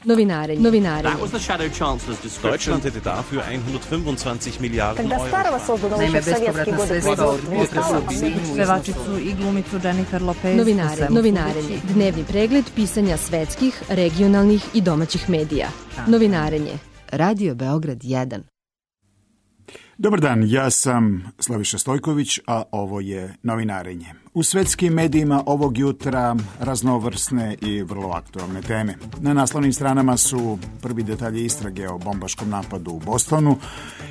Novinarenje. Deutschland hätte dafür 125 Milijarden Euro. Naime, bespovratna sredstva od pevačicu i glumicu Jennifer Lopez. Novinarenje. Dnevni pregled pisanja svetskih, regionalnih i domaćih medija. Novinarenje. Radio Beograd 1. Dobar dan, ja sam Slaviša Stojković, a ovo je Novinarenje. U svetskim medijima ovog jutra raznovrsne i vrlo aktualne teme. Na naslovnim stranama su prvi detalji istrage o bombaškom napadu u Bostonu,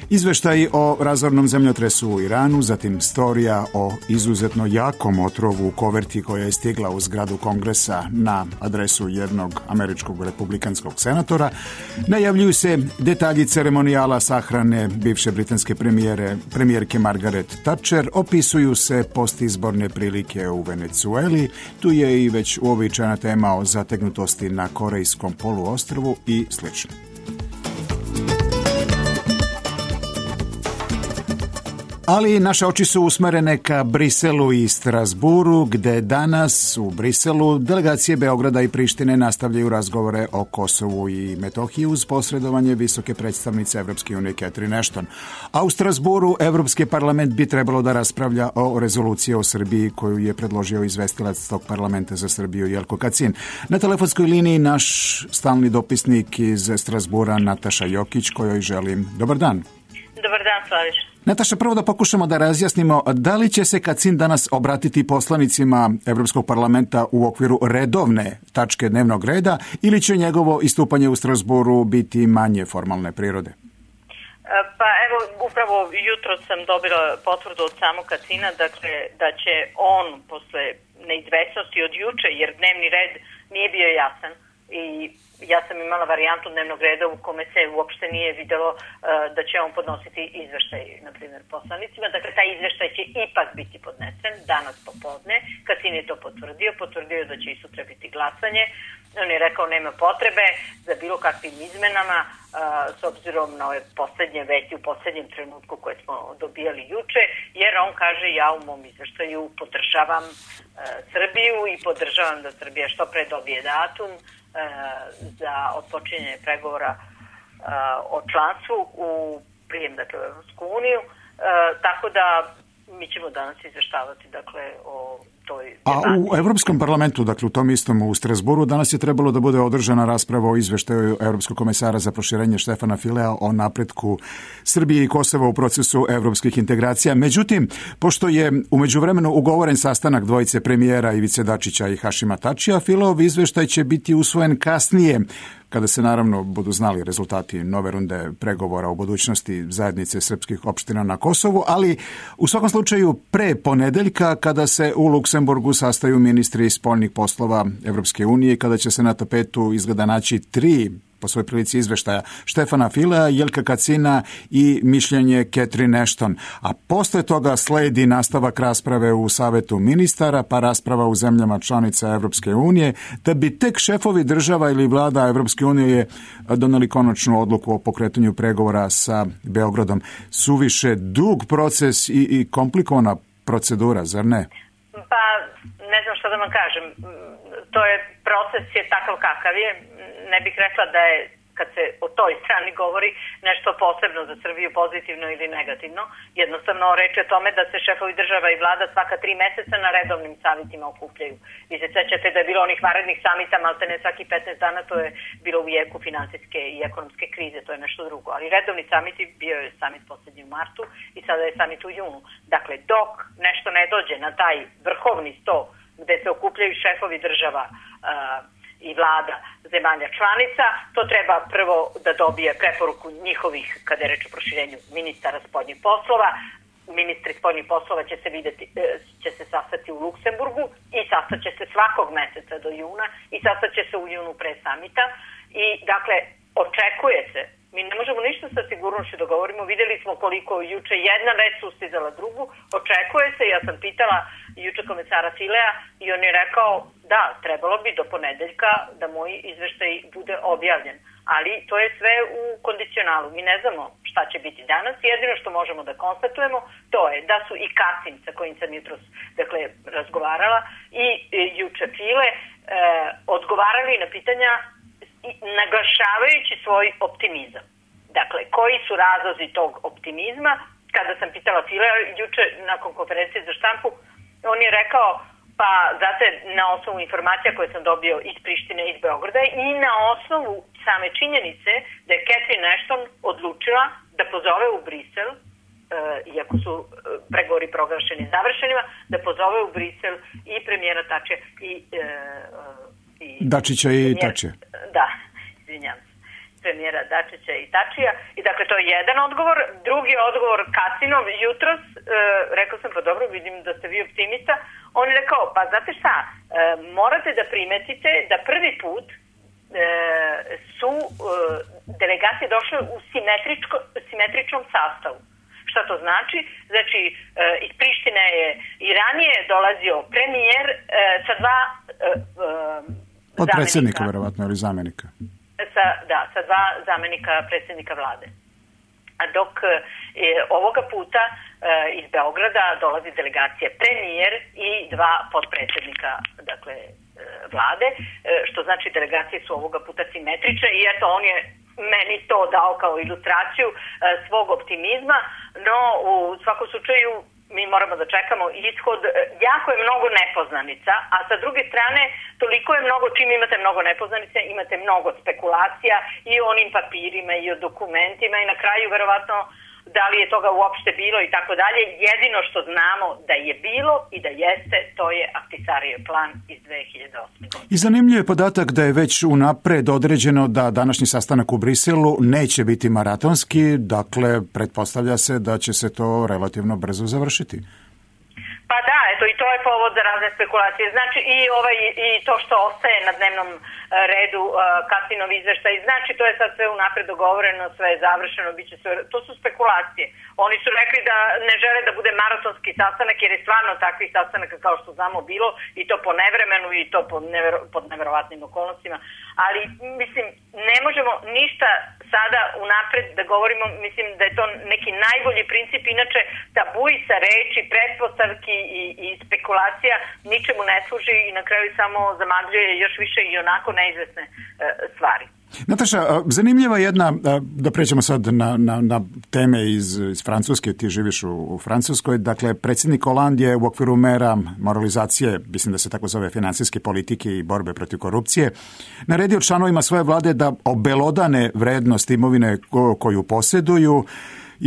izveštaji o razornom zemljotresu u Iranu, zatim storija o izuzetno jakom otrovu u koverti koja je stigla u zgradu Kongresa na adresu jednog američkog republikanskog senatora. Najavljuju se detalji ceremonijala sahrane bivše britanske premijerke Margaret Thatcher, opisuju se postizborne prilike u Venecueli, tu je i već uobičajena tema o zategnutosti na Korejskom poluostrvu i slično. Ali naše oči su usmerene ka Briselu i Strasburu, gde danas u Briselu delegacije Beograda i Prištine nastavljaju razgovore o Kosovu i Metohiji uz posredovanje visoke predstavnice Evropske unije Catherine Ashton. A u Strasburu Evropski parlament bi trebalo da raspravlja o rezoluciji o Srbiji koju je predložio izvestilac tog parlamenta za Srbiju Jelko Kacin. Na telefonskoj liniji naš stalni dopisnik iz Strasbura Nataša Jokić, kojoj želim dobar dan. Dobar dan, Slaviš. Nataša, prvo da pokušamo da razjasnimo da li će se Kacin danas obratiti poslanicima Evropskog parlamenta u okviru redovne tačke dnevnog reda ili će njegovo istupanje u Strasburu biti manje formalne prirode? Pa evo, upravo jutro sam dobila potvrdu od samog Kacina, dakle, da će on posle neizvesnosti od juče, jer dnevni red nije bio jasan i ja sam imala varijantu dnevnog reda u kome se uopšte nije videlo da će on podnositi izveštaj, na primjer, poslanicima. Dakle, taj izveštaj će ipak biti podnesen danas popodne. Kacin je to potvrdio da će i sutra biti glasanje. On je rekao nema potrebe za bilo kakvim izmenama s obzirom na ove poslednje vesti u poslednjem trenutku koje smo dobijali juče, jer on kaže ja u mom izveštaju podržavam Srbiju i podržavam da Srbija što pre dobije datum za otpočinjanje pregovora o članstvu u prijem, dakle, u Evropsku uniju, tako da mi ćemo danas izveštavati, dakle, o toj debati. A u Evropskom parlamentu, dakle, u tom istom u Strasburu, danas je trebalo da bude održana rasprava o izveštaju Evropskog komesara za proširenje Štefana Filea o napretku Srbije i Kosova u procesu evropskih integracija. Međutim, pošto je u međuvremenu ugovoren sastanak dvojice premijera Ivice Dačića i Hašima Tačija, Fileov izveštaj će biti usvojen kasnije, kada se naravno budu znali rezultati nove runde pregovora o budućnosti zajednice srpskih opština na Kosovu, ali u svakom slučaju pre ponedeljka kada se u Luksemburgu sastaju ministri spoljnih poslova Evropske unije, kada će se na tapetu izgleda naći 3 po svojoj prilici izveštaja Štefana Filea, Jelka Kacina i mišljenje Catherine Ashton. A posle toga sledi nastavak rasprave u Savetu ministara, pa rasprava u zemljama članica Evropske unije, da bi tek šefovi država ili vlada Evropske unije doneli konačnu odluku o pokretanju pregovora sa Beogradom. Suviše dug proces i komplikovana procedura, zar ne? Pa, ne znam što da vam kažem. To je, proces je takav kakav je. Ne bih rekla da je, kad se o toj strani govori, nešto posebno za Srbiju, pozitivno ili negativno. Jednostavno reč je o tome da se šefovi država i vlada svaka 3 meseca na redovnim samitima okupljaju. Vi se sećate da je bilo onih vanrednih samita, maltene svaki 15 dana, to je bilo u jeku finansijske i ekonomske krize, to je nešto drugo. Ali redovni samiti, bio je samit poslednji u martu i sada je samit u junu. Dakle, dok nešto ne dođe na taj vrhovni sto gde se okupljaju šefovi država i vlada zemalja članica, to treba prvo da dobije preporuku njihovih, kada je reč o proširenju, ministara spoljnih poslova. Ministri spoljnih poslova će se sastati u Luksemburgu i sastaće se svakog meseca do juna i sastaće se u junu pre samita. I, dakle, očekuje se, mi ne možemo ništa sa sigurnošću da govorimo, videli smo koliko juče jedna vest sustizala drugu, očekuje se, ja sam pitala juče komesara Filea i on je rekao da, trebalo bi do ponedeljka da moj izveštaj bude objavljen, ali to je sve u kondicionalu, mi ne znamo šta će biti danas, jedino što možemo da konstatujemo to je da su i Kacin sa kojim sam jutros, dakle, razgovarala i juče File odgovarali na pitanja naglašavajući svoj optimizam. Dakle, koji su razlozi tog optimizma? Kada sam pitala Filea juče nakon konferencije za štampu, on je rekao, pa znate, na osnovu informacija koje sam dobio iz Prištine i iz Beograda i na osnovu same činjenice da je Catherine Ashton odlučila da pozove u Brisel, iako su pregovori proglašeni završenima, da pozove u Brisel i premijera Tačija i Dačića i Tačija. Da, izvinjam se. Premijera Dačića i Tačija. I dakle, to je jedan odgovor. Drugi odgovor, Kacinov, jutros, rekao sam, pa dobro, vidim da ste vi optimista. On je rekao, pa znate šta, morate da primetite da prvi put su delegacije došle u simetričnom sastavu. Šta to znači? Znači, iz Prištine je i ranije dolazio premijer sa dva od predsjednika, verovatno, ili zamenika. Sa dva zamenika predsjednika vlade. A dok ovoga puta iz Beograda dolazi delegacija premijer i dva podpredsjednika, dakle, vlade, što znači delegacije su ovoga puta simetrične i eto on je meni to dao kao ilustraciju svog optimizma, no u svakom slučaju mi moramo da čekamo ishod. Jako je mnogo nepoznanica, a sa druge strane toliko je mnogo, čim imate mnogo nepoznanica, imate mnogo spekulacija i o onim papirima i o dokumentima i na kraju verovatno da li je toga uopšte bilo i tako dalje. Jedino što znamo da je bilo i da jeste, to je Ahtisarijev plan iz 2008. godine. I zanimljiv je podatak da je već unapred određeno da današnji sastanak u Briselu neće biti maratonski, dakle pretpostavlja se da će se to relativno brzo završiti. Pa da, eto i to je povod za razne spekulacije. Znači i to što ostaje na dnevnom redu Kacinov izveštaj, znači to je sad sve unapred dogovoreno, sve je završeno, biće sve, to su spekulacije. Oni su rekli da ne žele da bude maratonski sastanak jer je stvarno takvih sastanaka kao što znamo bilo i to po nevremenu i to pod neverovatnim okolnostima, ali mislim ne možemo ništa sada unapred da govorimo, mislim da je to neki najbolji princip, inače tabuji sa reči, pretpostavki i spekulacija ničemu ne služi i na kraju samo zamagljuje još više i onako neizvesne stvari. Nataša, zanimljiva jedna, da pređemo sad na teme iz Francuske, ti živiš u Francuskoj, dakle predsjednik Hollande je u okviru mera moralizacije, mislim da se tako zove finansijske politike i borbe protiv korupcije, naredio članovima svoje vlade da obelodane vrednost imovine koju posjeduju.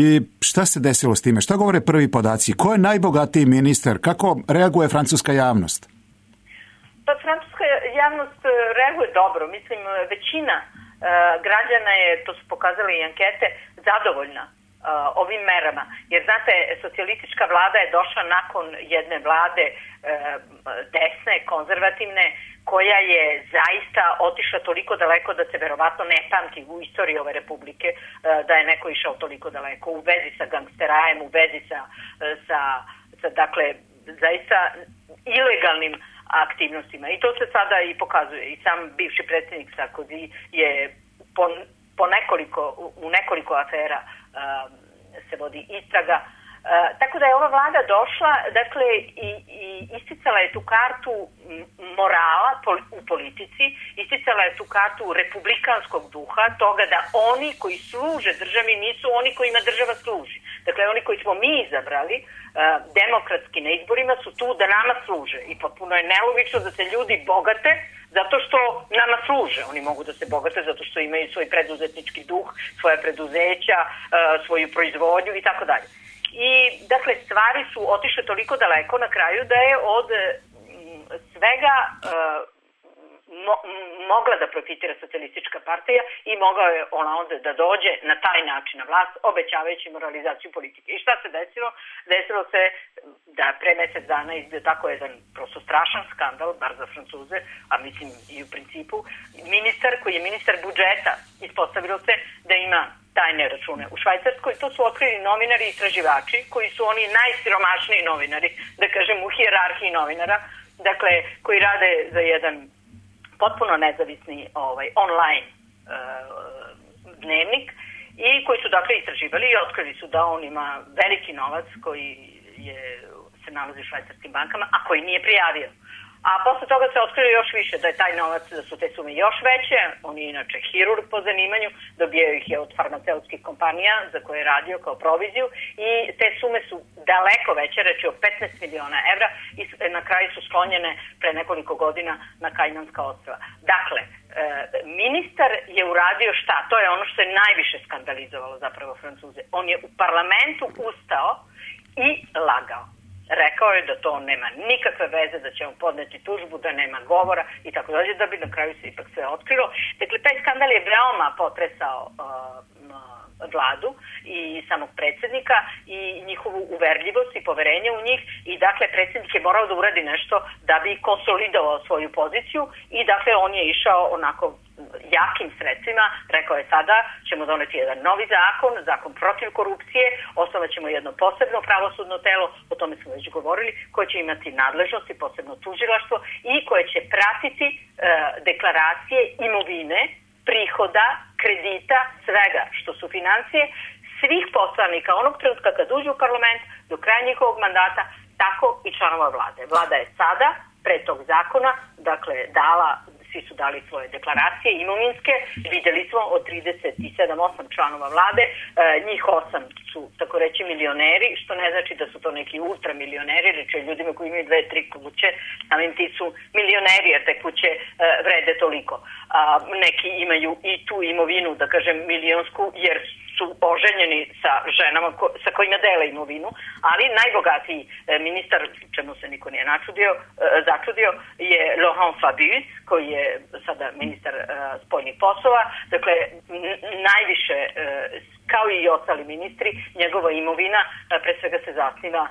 I šta se desilo s time? Šta govore prvi podaci? Ko je najbogatiji ministar? Kako reaguje francuska javnost? Pa francuska javnost reaguje dobro. Mislim, većina građana je, to su pokazali i ankete, zadovoljna ovim merama. Jer, znate, socijalistička vlada je došla nakon jedne vlade desne, konzervativne, koja je zaista otišla toliko daleko da se verovatno ne pamti u istoriji ove republike da je neko išao toliko daleko u vezi sa gangsterajem, u vezi sa dakle, zaista ilegalnim aktivnostima. I to se sada i pokazuje. I sam bivši predsjednik Sarkozy je u nekoliko afera se vodi istraga. Tako da je ova vlada došla, dakle, i isticala je tu kartu morala u politici, isticala je tu kartu republikanskog duha, toga da oni koji služe državi nisu oni kojima država služi. Dakle, oni koji smo mi izabrali demokratski na izborima su tu da nama služe i potpuno je nelogično da se ljudi bogate zato što nama služe. Oni mogu da se bogate zato što imaju svoj preduzetnički duh, svoja preduzeća, svoju proizvodnju i tako dalje. I, dakle, stvari su otišle toliko daleko na kraju da je od svega mogla da profitira socijalistička partija i mogla je ona onda da dođe na taj način na vlast, obećavajući moralizaciju politike. I šta se desilo? Desilo se da pre mjesec dana izbio tako jedan prosto strašan skandal, bar za Francuze, a mislim i u principu, ministar koji je ministar budžeta, ispostavilo se da ima tajne račune u Švajcarskoj. To su otkrili novinari i istraživači koji su oni najsiromašniji novinari, da kažem u hijerarhiji novinara, dakle koji rade za jedan potpuno nezavisni online dnevnik i koji su dakle istraživali i otkrili su da on ima veliki novac koji se nalazi u švajcarskim bankama, a koji nije prijavio. A posle toga se otkrilo još više da je taj novac, da su te sume još veće. On je inače hirurg po zanimanju, dobijaju ih je od farmaceutskih kompanija za koje je radio kao proviziju i te sume su daleko veće, reći o 15 miliona evra i na kraju su sklonjene pre nekoliko godina na Kajmanska ostrva. Dakle, ministar je uradio šta? To je ono što je najviše skandalizovalo zapravo Francuze. On je u parlamentu ustao i lagao. Rekao je da to nema nikakve veze, da će on podneti tužbu, da nema govora i tako dalje, da bi na kraju se ipak sve otkrilo. Dakle, taj skandal je veoma potresao vladu i samog predsjednika i njihovu uverljivost i poverenje u njih i dakle predsjednik je morao da uradi nešto da bi konsolidovao svoju poziciju i dakle on je išao onako jakim sredstvima, rekao je sada ćemo doneti jedan novi zakon protiv korupcije, osnovat ćemo jedno posebno pravosudno telo, o tome smo već govorili, koje će imati nadležnosti, posebno tužilaštvo i koje će pratiti deklaracije imovine, prihoda, kredita, svega što su financije, svih poslanika onog trenutka kad uđu u parlament do kraja njihovog mandata, tako i članova vlade. Vlada je sada, pre tog zakona, dakle svi su dali svoje deklaracije imovinske, vidjeli smo od 37-8 članova vlade, njih 8 su tako reći milioneri, što ne znači da su to neki ultramilioneri, reći o ljudima koji imaju 2-3 kuće, samim ti su milioneri jer te kuće vrede toliko. Neki imaju i tu imovinu, da kažem milionsku, jer su oženjeni sa ženama sa kojima dele imovinu, ali najbogatiji ministar, čemu se niko nije začudio, je Laurent Fabius, koji je sada ministar spoljnih poslova. Dakle, najviše, kao i ostali ministri, njegova imovina pre svega se zasniva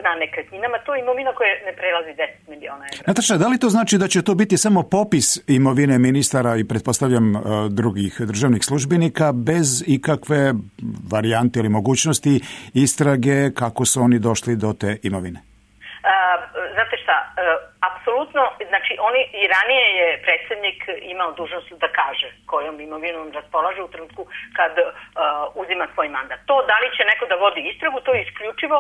na nekretninama. To je imovina koja ne prelazi 10 miliona evra. Nataša, da li to znači da će to biti samo popis imovine ministara i pretpostavljam drugih državnih službenika bez ikakve varijante ili mogućnosti istrage kako su oni došli do te imovine? Znate šta, apsolutno, znači oni i ranije je predsjednik imao dužnost da kaže kojom imovinom raspolaže u trenutku kad uzima svoj mandat. To da li će neko da vodi istragu, to je isključivo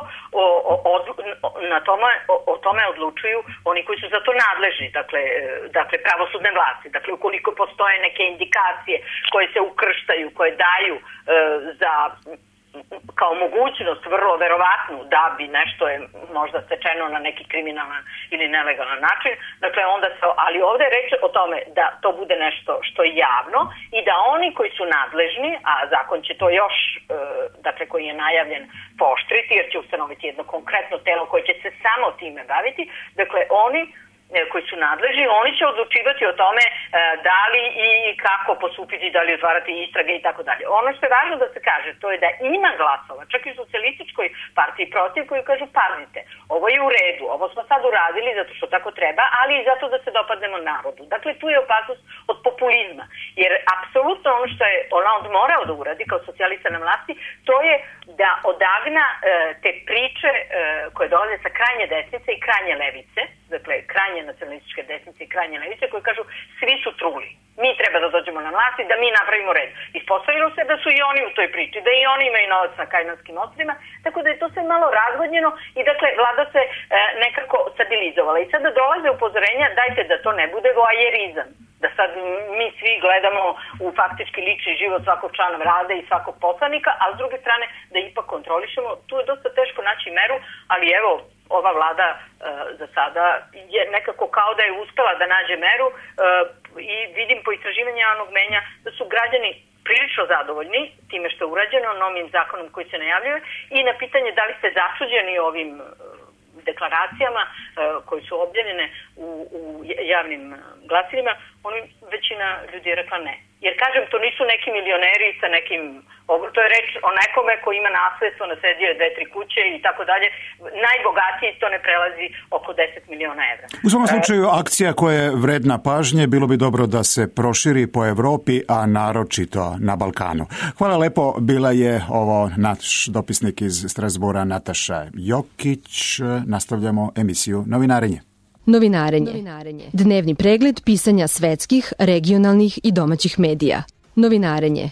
o tome odlučuju oni koji su za to nadležni, dakle pravosudne vlasti. Dakle, ukoliko postoje neke indikacije koje se ukrštaju, koje daju za kao mogućnost vrlo verovatnu da bi nešto je možda stečeno na neki kriminalan ili nelegalan način, dakle onda ali ovdje je reč o tome da to bude nešto što je javno i da oni koji su nadležni, a zakon će to još, dakle koji je najavljen, pooštriti jer će ustanoviti jedno konkretno telo koje će se samo time baviti, dakle oni koji su nadležni, oni će odlučivati o tome da li i kako postupiti, da li otvarati istrage i tako dalje. Ono što je važno da se kaže, to je da ima glasova, čak i u socijalističkoj partiji protiv, koji kažu pazite, ovo je u redu, ovo smo sad uradili zato što tako treba, ali i zato da se dopadnemo narodu. Dakle, tu je opasnost od populizma, jer apsolutno ono što je Hollande morao da uradi kao socijalista na vlasti, to je da odagna te priče koje dolaze sa krajnje desnice i krajnje levice, dakle krajnje nacionalističke desnice i krajnje levice koji kažu svi su truli. Mi treba da dođemo na vlast i da mi napravimo red. Ispostavilo se da su i oni u toj priči, da i oni imaju novac na Kajmanskim ostrvima, tako da je to sve malo razvodnjeno i dakle vlada se nekako stabilizovala. I sada dolaze upozorenja, dajte da to ne bude voajerizam. Da sad mi svi gledamo u faktički lični život svakog člana vlade i svakog poslanika, a s druge strane da ipak kontrolišemo. Tu je dosta teško naći meru, ali evo, ova vlada za sada je nekako kao da je uspela da nađe meru i vidim po istraživanju javnog mnjenja da su građani prilično zadovoljni time što je urađeno novim zakonom koji se najavljuje i na pitanje da li ste začuđeni ovim deklaracijama koje su objavljene u javnim glasilima, većina ljudi je rekla ne. Jer kažem, to nisu neki milioneri sa nekim, to je reč o nekome koji ima nasledstvo, nasedio je 2-3 kuće i tako dalje. Najbogatiji to ne prelazi oko 10 miliona evra. U svom slučaju akcija koja je vredna pažnje, bilo bi dobro da se proširi po Evropi, a naročito na Balkanu. Hvala lepo, bila je ovo naš dopisnik iz Strasbura Nataša Jokić. Nastavljamo emisiju Novinarenje. Novinarenje. Dnevni pregled pisanja svetskih, regionalnih i domaćih medija. Novinarenje.